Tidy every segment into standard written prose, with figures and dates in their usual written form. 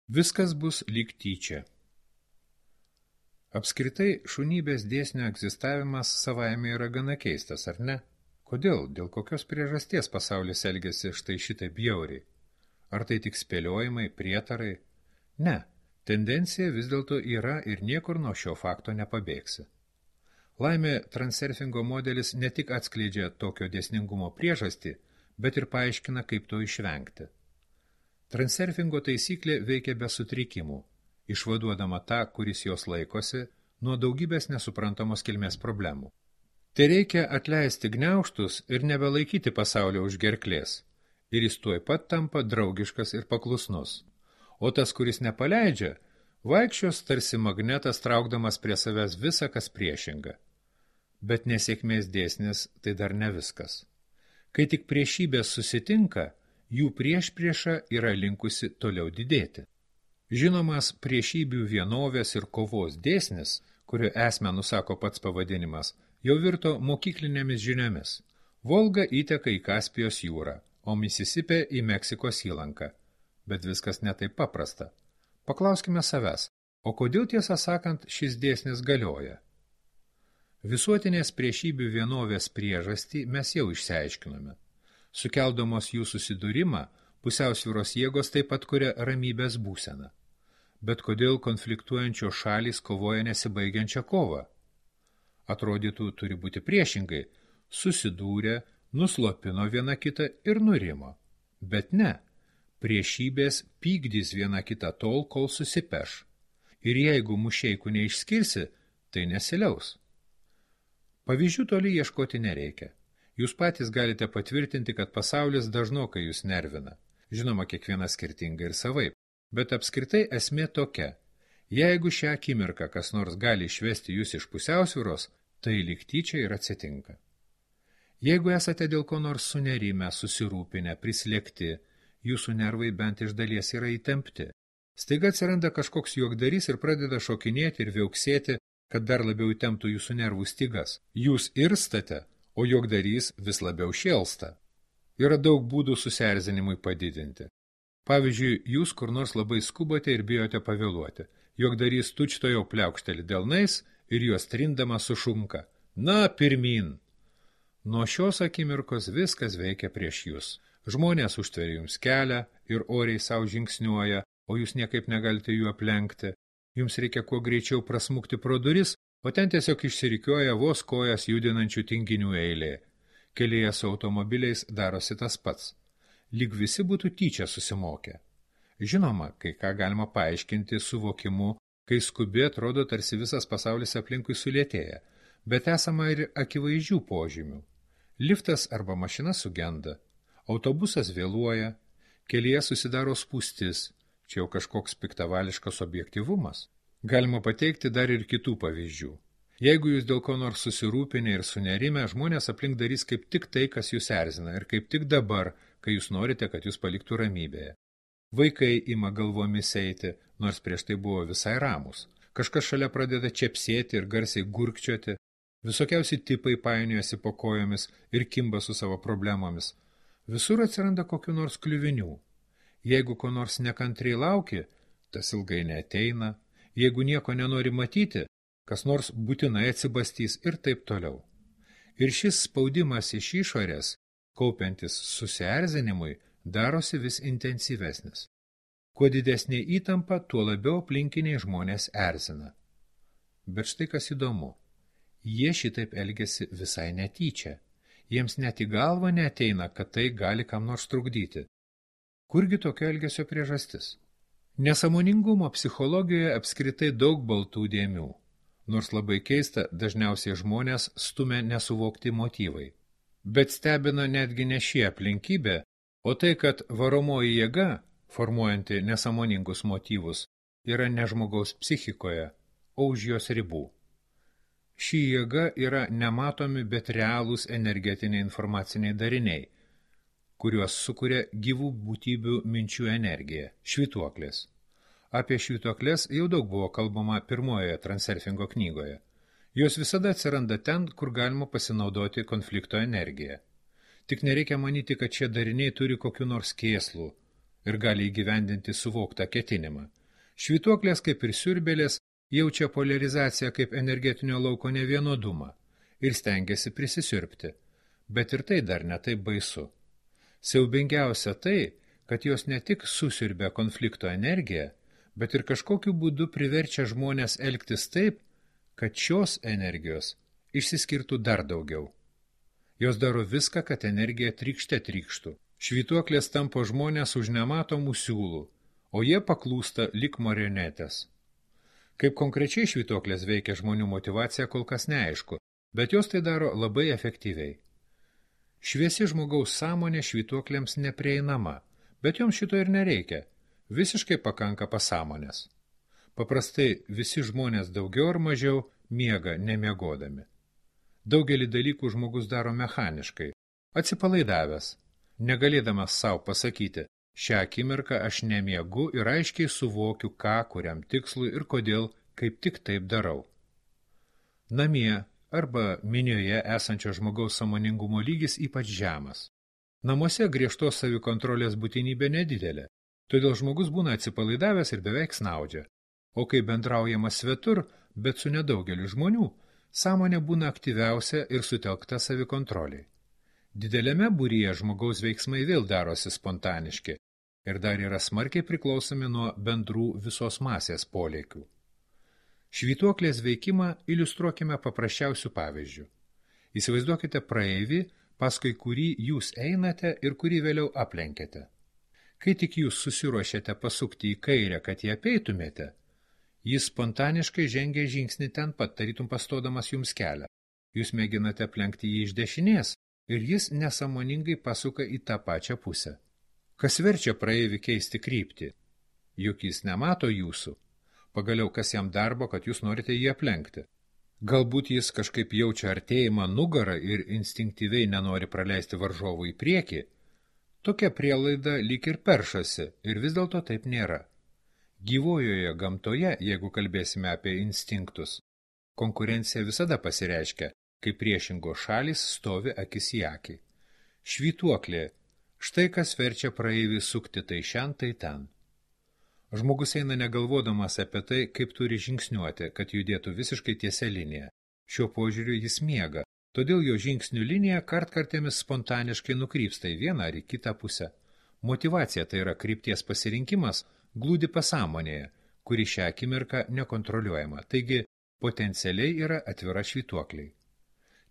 Viskas bus lyg tyčia. Apskritai, šunybės dėsnio egzistavimas savaime yra gana keistas, ar ne? Kodėl, dėl kokios priežasties pasaulis elgiasi štai šitai bjauriai? Ar tai tik spėliojimai, prietarai? Ne, tendencija vis dėlto yra ir niekur nuo šio fakto nepabėgsi. Laimė, transurfingo modelis ne tik atskleidžia tokio dėsningumo priežastį, bet ir paaiškina, kaip to išvengti. Transurfingo taisyklė veikia be sutrikimų, išvaduodama tą, kuris jos laikosi, nuo daugybės nesuprantamos kilmės problemų. Tai reikia atleisti gniaužtus ir nebelaikyti pasaulio už gerklės, ir jis tuoj pat tampa draugiškas ir paklusnus. O tas, kuris nepaleidžia, vaikščios tarsi magnetas traukdamas prie savęs visą, kas priešinga. Bet nesėkmės dėsnis tai dar ne viskas. Kai tik priešybės susitinka, jų priešprieša yra linkusi toliau didėti. Žinomas priešybių vienovės ir kovos dėsnis, kurio esmę nusako pats pavadinimas, jau virto mokyklinėmis žiniomis. Volga įteka į Kaspijos jūrą, o Misisipė į Meksikos įlanką. Bet viskas ne taip paprasta. Paklauskime savęs, o kodėl tiesą sakant šis dėsnis galioja? Visuotinės priešybių vienovės priežastį mes jau išsiaiškinome. Sukeldamos jų susidūrimą, pusiausvyros jėgos taip pat kuria ramybės būseną. Bet kodėl konfliktuojančios šalys kovoja nesibaigiančią kovą? Atrodytų, turi būti priešingai, susidūrė, nuslopino viena kitą ir nurimo. Bet ne, priešybės pykdys viena kitą tol, kol susipeš. Ir jeigu mušeikų neišskirsi, tai nesiliaus. Pavyzdžių toli ieškoti nereikia. Jūs patys galite patvirtinti, kad pasaulis dažnokai jūs nervina. Žinoma, kiekvienas skirtingai ir savaip. Bet apskritai esmė tokia. Jeigu šią akimirką kas nors gali išvesti jūs iš pusiausvyros, tai lyg tyčia ir atsitinka. Jeigu esate dėl ko nors sunerimę, susirūpinę, prislėgti, jūsų nervai bent iš dalies yra įtempti. Staiga atsiranda kažkoks juokdarys ir pradeda šokinėti ir viauksėti, kad dar labiau įtemptų jūsų nervų stygas. Jūs irstate, o juokdarys vis labiau šėlsta. Yra daug būdų susierzinimui padidinti. Pavyzdžiui, jūs kur nors labai skubate ir bijote pavėluoti. Juokdarys tučtojau pliaukšteli delnais ir juos trindama sušunka. Na, pirmyn! Nuo šios akimirkos viskas veikia prieš jūs. Žmonės užtveria jums kelią ir oriai savo žingsniuoja, o jūs niekaip negalite jų aplenkti. Jums reikia kuo greičiau prasmukti pro duris, o ten tiesiog išsirikiuoja vos kojas judinančių tinginių eilė. Kelyje su automobiliais darosi tas pats. Lyg visi būtų tyčia susimokę. Žinoma, kai ką galima paaiškinti suvokimu, kai skubi atrodo tarsi visas pasaulis aplinkui sulėtėja, bet esama ir akivaizdžių požymių. Liftas arba mašina sugenda, autobusas vėluoja, kelyje susidaro spūstis, čia jau kažkoks piktavališkas objektyvumas. Galima pateikti dar ir kitų pavyzdžių. Jeigu jūs dėl ko nors susirūpinę ir sunerime, žmonės aplink darys kaip tik tai, kas jūs erzina, ir kaip tik dabar, kai jūs norite, kad jūs paliktų ramybėje. Vaikai ima galvomis eiti, nors prieš tai buvo visai ramus. Kažkas šalia pradeda čepsėti ir garsiai gurkčioti. Visokiausi tipai painiojasi po kojomis ir kimba su savo problemomis. Visur atsiranda kokių nors kliuvinių. Jeigu ko nors nekantriai lauki, tas ilgai neateina. Jeigu nieko nenori matyti, kas nors būtinai atsibastys ir taip toliau. Ir šis spaudimas iš išorės, kaupiantis susierzinimui, darosi vis intensyvesnis. Kuo didesnė įtampa, tuo labiau aplinkiniai žmonės erzina. Bet štai kas įdomu. Jie šitaip elgiasi visai netyčia. Jiems net į galvą neateina, kad tai gali kam nors trukdyti. Kurgi tokio elgesio priežastis? Nesąmoningumo psichologijoje apskritai daug baltų dėmių. Nors labai keista, dažniausiai žmonės stumia nesuvokti motyvai. Bet stebina netgi ne šie aplinkybė, o tai, kad varomoji jėga, formuojanti nesąmoningus motyvus, yra ne žmogaus psichikoje, o už jos ribų. Ši jėga yra nematomi, bet realūs energetiniai informaciniai dariniai, kuriuos sukuria gyvų būtybių minčių energija, švytuoklės. Apie švytuoklės jau daug buvo kalbama pirmojoje transurfingo knygoje. Jos visada atsiranda ten, kur galima pasinaudoti konflikto energiją. Tik nereikia manyti, kad šie dariniai turi kokiu nors kėslų ir gali įgyvendinti suvoktą ketinimą. Švytuoklės kaip ir siurbėlės jaučia polarizaciją kaip energetinio lauko nevienodumą ir stengiasi prisisiurbti, bet ir tai dar netaip baisu. Siaubingiausia tai, kad jos ne tik susiurbia konflikto energiją, bet ir kažkokiu būdu priverčia žmonės elgtis taip, kad šios energijos išsiskirtų dar daugiau. Jos daro viską, kad energija trykšte trykštų. Švytuoklės tampo žmonės už nematomų siūlų, o jie paklūsta lyg marionetės. Kaip konkrečiai švytuoklės veikia žmonių motyvacija, kol kas neaišku, bet jos tai daro labai efektyviai. Šviesi žmogaus sąmonė švytuoklėms neprieinama, bet joms šito ir nereikia. Visiškai pakanka pasąmonės. Paprastai visi žmonės daugiau ar mažiau miega nemiegodami. Daugelį dalykų žmogus daro mechaniškai, atsipalaidavęs, negalėdamas savo pasakyti, šią akimirką aš nemiegu ir aiškiai suvokiu, ką, kuriam tikslui ir kodėl, kaip tik taip darau. Namie arba minioje esančio žmogaus sąmoningumo lygis ypač žemas. Namuose griežtos savikontrolės būtinybė nedidelė, todėl žmogus būna atsipalaidavęs ir beveik snaudžia. O kai bendraujama svetur, bet su nedaugeliu žmonių, sąmonė būna aktyviausia ir sutelkta savikontroliai. Dideliame būryje žmogaus veiksmai vėl darosi spontaniški ir dar yra smarkiai priklausomi nuo bendrų visos masės polėkių. Švytuoklės veikimą iliustruokime paprasčiausių pavyzdžių. Įsivaizduokite praeivį, paskui kurį jūs einate ir kurį vėliau aplenkėte. Kai tik jūs susiruošėte pasukti į kairę, kad jį apeitumėte, jis spontaniškai žengia žingsnį ten pat, tarytum pastodamas jums kelią. Jūs mėginate aplenkti jį iš dešinės ir jis nesąmoningai pasuka į tą pačią pusę. Kas verčia praeivį keisti kryptį? Juk jis nemato jūsų. Pagaliau, kas jam darbo, kad jūs norite jį aplenkti? Galbūt jis kažkaip jaučia artėjimą nugarą ir instinktyviai nenori praleisti varžovų į priekį? Tokia prielaida lyg ir peršasi ir vis dėlto taip nėra. Gyvojoje gamtoje, jeigu kalbėsime apie instinktus, konkurencija visada pasireiškia, kai priešingos šalys stovi akis į akį. Švytuoklė, štai kas verčia praeivį sukti tai šen, tai ten. Žmogus eina negalvodamas apie tai, kaip turi žingsniuoti, kad judėtų visiškai tiesia linija. Šiuo požiūriu jis miega, todėl jo žingsnių linija kartkartėmis spontaniškai nukrypsta į vieną ar į kitą pusę. Motyvacija, tai yra krypties pasirinkimas, glūdi pasąmonėje, kuri šią akimirką nekontroliuojama, taigi potencialiai yra atvira švytuokliai.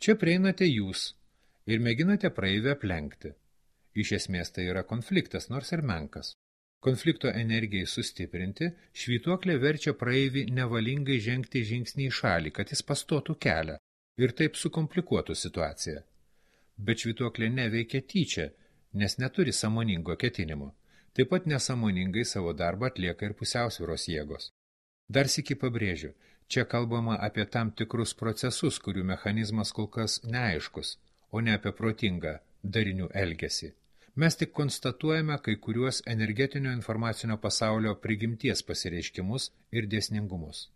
Čia prieinate jūs ir mėginate praeivę aplenkti. Iš esmės tai yra konfliktas, nors ir menkas. Konflikto energijai sustiprinti, švytuoklė verčia praeivį nevalingai žengti žingsnį į šalį, kad jis pastotų kelią ir taip sukomplikuotų situaciją. Bet švytuoklė neveikia tyčia, nes neturi sąmoningo ketinimo. Taip pat nesąmoningai savo darbą atlieka ir pusiausvyros jėgos. Dar sykį pabrėžiu, čia kalbama apie tam tikrus procesus, kurių mechanizmas kol kas neaiškus, o ne apie protingą darinių elgesį. Mes tik konstatuojame kai kuriuos energetinio informacinio pasaulio prigimties pasireiškimus ir dėsningumus.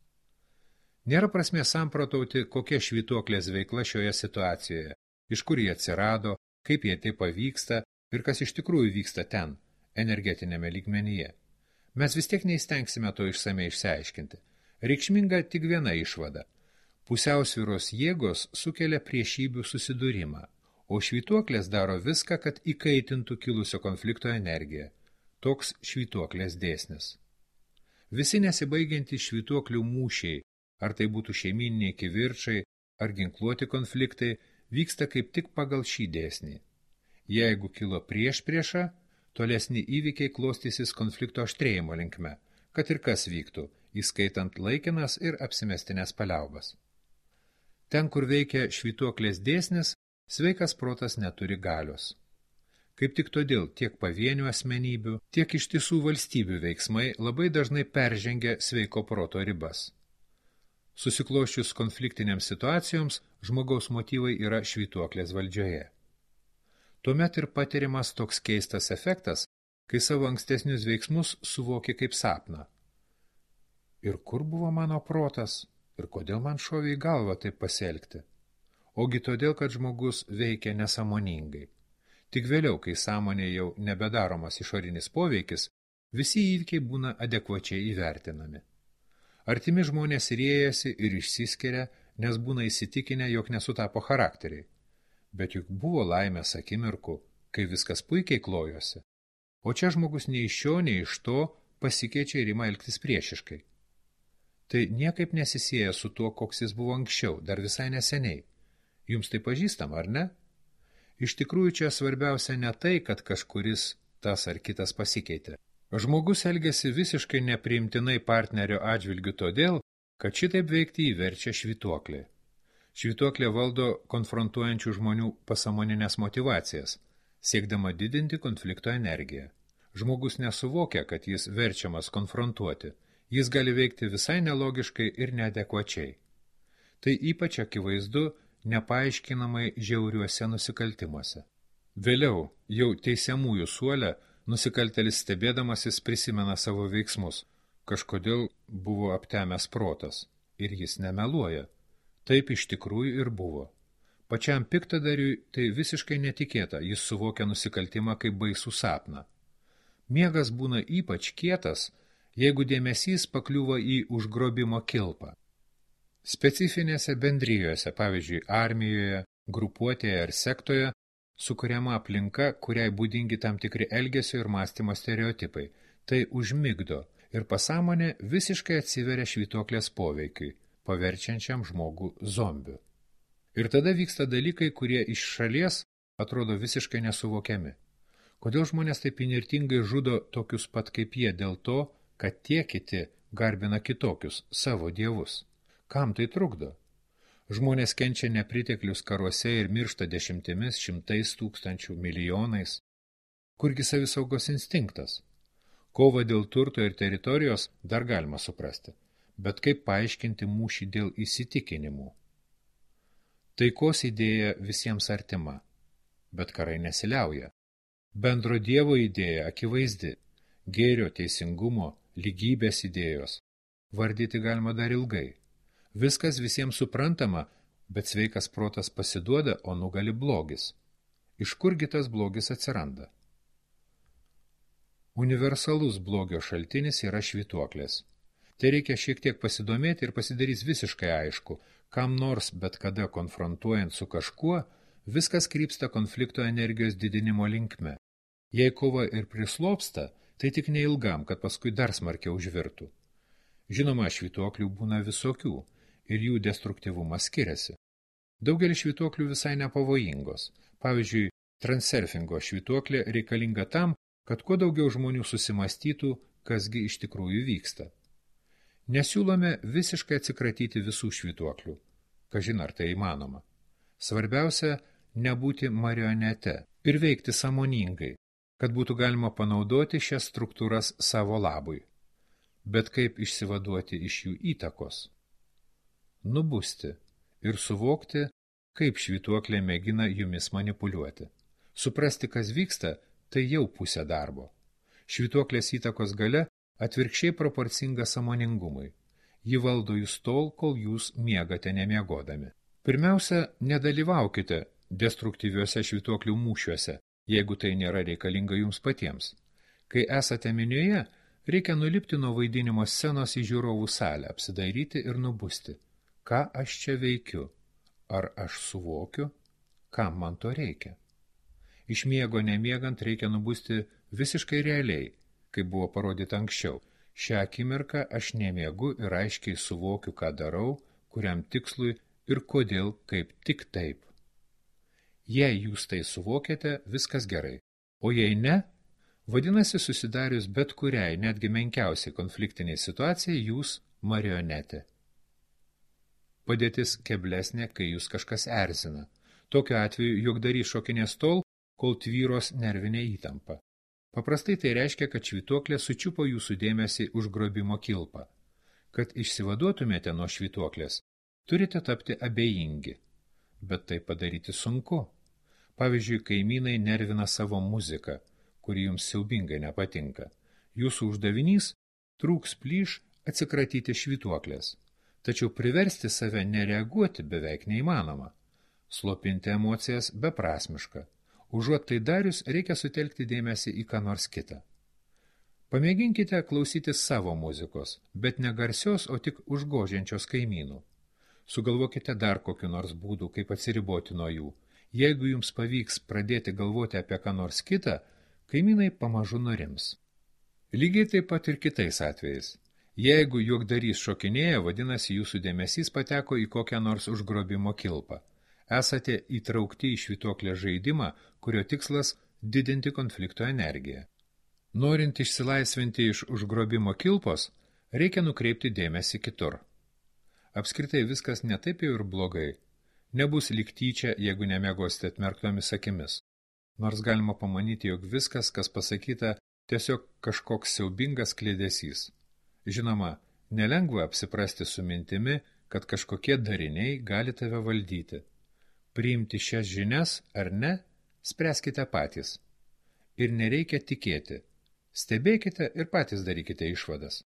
Nėra prasmės samprotauti, kokia švytuoklės veikla šioje situacijoje, iš kur jie atsirado, kaip jie tai pavyksta ir kas iš tikrųjų vyksta ten, energetinėme lygmenyje. Mes vis tiek neįstengsime to išsamei išsiaiškinti. Reikšminga tik viena išvada. Pusiausvyros jėgos sukelia priešybių susidūrimą, o švytuoklės daro viską, kad įkaitintų kilusio konflikto energiją. Toks švytuoklės dėsnis. Visi nesibaigiantys švytuoklių mūšiai, ar tai būtų šeimyniniai kivirčai, ar ginkluoti konfliktai, vyksta kaip tik pagal šį dėsnį. Jeigu kilo priešprieša, tolesni įvykiai klostysis konflikto aštrėjimo linkme, kad ir kas vyktų, įskaitant laikinas ir apsimestinės paliaubas. Ten, kur veikia švytuoklės dėsnis, sveikas protas neturi galios. Kaip tik todėl tiek pavienių asmenybių, tiek ištisų valstybių veiksmai labai dažnai peržengia sveiko proto ribas. Susikloščius konfliktinėms situacijoms, žmogaus motyvai yra švytuoklės valdžioje. Tuomet ir patiriamas toks keistas efektas, kai savo ankstesnius veiksmus suvoki kaip sapną. Ir kur buvo mano protas? Ir kodėl man šovė į galvą taip pasielgti? Ogi todėl, kad žmogus veikia nesąmoningai. Tik vėliau, kai sąmonė jau nebedaromas išorinis poveikis, Visi įvykiai būna adekvačiai įvertinami. Artimi žmonės riejasi ir išsiskiria, nes būna įsitikinę, jog nesutapo charakteriai. Bet juk buvo laimės akimirkų, kai viskas puikiai klojosi. O čia žmogus nei iš šio, nei iš to pasikeičia ir ima elgtis priešiškai. Tai niekaip nesisieja su tuo, koks jis buvo anksčiau, dar visai neseniai. Jums tai pažįstam, ar ne? Iš tikrųjų, čia svarbiausia ne tai, kad kažkuris tas ar kitas pasikeitė. Žmogus elgiasi visiškai nepriimtinai partnerio atžvilgiu todėl, kad šitaip veikti įverčia švytuoklė. Švytuoklė valdo konfrontuojančių žmonių pasąmoninės motyvacijas, siekdama didinti konflikto energiją. Žmogus nesuvokia, kad jis verčiamas konfrontuoti. Jis gali veikti visai nelogiškai ir neadekvačiai. Tai ypač akivaizdu nepaaiškinamai žiauriuose nusikaltimuose. Vėliau, jau teisiamųjų suole, nusikaltėlis stebėdamasis prisimena savo veiksmus. Kažkodėl buvo aptemęs protas. Ir jis nemeluoja. Taip iš tikrųjų ir buvo. Pačiam piktadariui tai visiškai netikėta. Jis suvokia nusikaltimą kaip baisų sapną. Miegas būna ypač kietas, jeigu dėmesys pakliūva į užgrobimo kilpą. Specifinėse bendrijose, pavyzdžiui, armijoje, grupuotėje ar sektoje, sukuriama aplinka, kuriai būdingi tam tikri elgesio ir mąstymo stereotipai. Tai užmigdo ir pasąmonė visiškai atsiveria švytuoklės poveikiui, paverčiančiam žmogų zombiu. Ir tada vyksta dalykai, kurie iš šalies atrodo visiškai nesuvokiami. Kodėl žmonės taip įnirtingai žudo tokius pat kaip jie dėl to, kad tie kiti garbina kitokius, savo dievus? Kam tai trukdo? Žmonės kenčia nepriteklius karuose ir miršta dešimtimis, šimtais tūkstančių, milijonais. Kurgi savisaugos instinktas? Kova dėl turto ir teritorijos dar galima suprasti, bet kaip paaiškinti mūšį dėl įsitikinimų? Taikos idėja visiems artima, bet karai nesiliauja. Bendro dievo idėja akivaizdi, gėrio, teisingumo, lygybės idėjos. Vardyti galima dar ilgai. Viskas visiems suprantama, bet sveikas protas pasiduoda, o nugali blogis. Iš kurgi tas blogis atsiranda? Universalus blogio šaltinis yra švytuoklės. Tai reikia šiek tiek pasidomėti ir pasidarys visiškai aišku, kam nors bet kada konfrontuojant su kažkuo, viskas krypsta konflikto energijos didinimo linkme. Jei kova ir prislopsta, tai tik neilgam, kad paskui dar smarkiau užvirtų. Žinoma, švytuoklių būna visokių ir jų destruktyvumas skiriasi. Daugelis švytuoklių visai nepavojingos. Pavyzdžiui, transurfingo švytuoklė reikalinga tam, kad kuo daugiau žmonių susimastytų, kasgi iš tikrųjų vyksta. Nesiūlome visiškai atsikratyti visų švytuoklių. Kažin ar tai įmanoma. Svarbiausia, nebūti marionete ir veikti sąmoningai, kad būtų galima panaudoti šias struktūras savo labui. Bet kaip išsivaduoti iš jų įtakos? Nubusti ir suvokti, kaip švytuoklė mėgina jumis manipuliuoti. Suprasti, kas vyksta, tai jau pusė darbo. Švytuoklės įtakos galia atvirkščiai proporcinga sąmoningumui. Ji valdo jūs tol, kol jūs miegate nemiegodami. Pirmiausia, nedalyvaukite destruktyviuose švytuoklių mūšiuose, jeigu tai nėra reikalinga jums patiems. Kai esate minioje, reikia nulipti nuo vaidinimo scenos į žiūrovų salę, apsidairyti ir nubusti. Ką aš čia veikiu? Ar aš suvokiu? Kam man to reikia? Iš miego nemiegant reikia nubusti visiškai realiai, kaip buvo parodyta anksčiau. Šią akimirką aš nemiegu ir aiškiai suvokiu, ką darau, kuriam tikslui ir kodėl kaip tik taip. Jei jūs tai suvokiate, viskas gerai. O jei ne, vadinasi susidarius bet kuriai, netgi menkiausiai konfliktiniai situacijai, jūs marionetė. Padėtis keblesnė, kai jūs kažkas erzina. Tokiu atveju juokdarys šokinės tol, kol tvyros nervinė įtampa. Paprastai tai reiškia, kad švytuoklė sučiupo jūsų dėmesį už grobimo kilpą. Kad išsivaduotumėte nuo švytuoklės, turite tapti abejingi. Bet tai padaryti sunku. Pavyzdžiui, kaimynai nervina savo muziką, kuri jums siaubingai nepatinka. Jūsų uždavinys trūks plyš atsikratyti švytuoklės. Tačiau priversti save nereaguoti beveik neįmanoma. Slopinti emocijas beprasmiška. Užuot tai darius, reikia sutelkti dėmesį į ką nors kitą. Pamėginkite klausytis savo muzikos, bet ne garsios, o tik užgožiančios kaimynų. Sugalvokite dar kokiu nors būdų, kaip atsiriboti nuo jų. Jeigu jums pavyks pradėti galvoti apie ką nors kitą, kaimynai pamažu nurims. Lygiai taip pat ir kitais atvejais. Jeigu juokdarys šokinėja, vadinasi jūsų dėmesys pateko į kokią nors užgrobimo kilpą. Esate įtraukti į švytuoklės žaidimą, kurio tikslas – didinti konflikto energiją. Norint išsilaisvinti iš užgrobimo kilpos, reikia nukreipti dėmesį kitur. Apskritai viskas ne taip jau ir blogai. Nebus lyg tyčia, jeigu nemiegosite atmerktomis akimis. Nors galima pamanyti, jog viskas, kas pasakyta, tiesiog kažkoks siaubingas kliedesys. Žinoma, nelengva apsiprasti su mintimi, kad kažkokie dariniai gali tave valdyti. Priimti šias žinias ar ne, spręskite patys. Ir nereikia tikėti. Stebėkite ir patys darykite išvadas.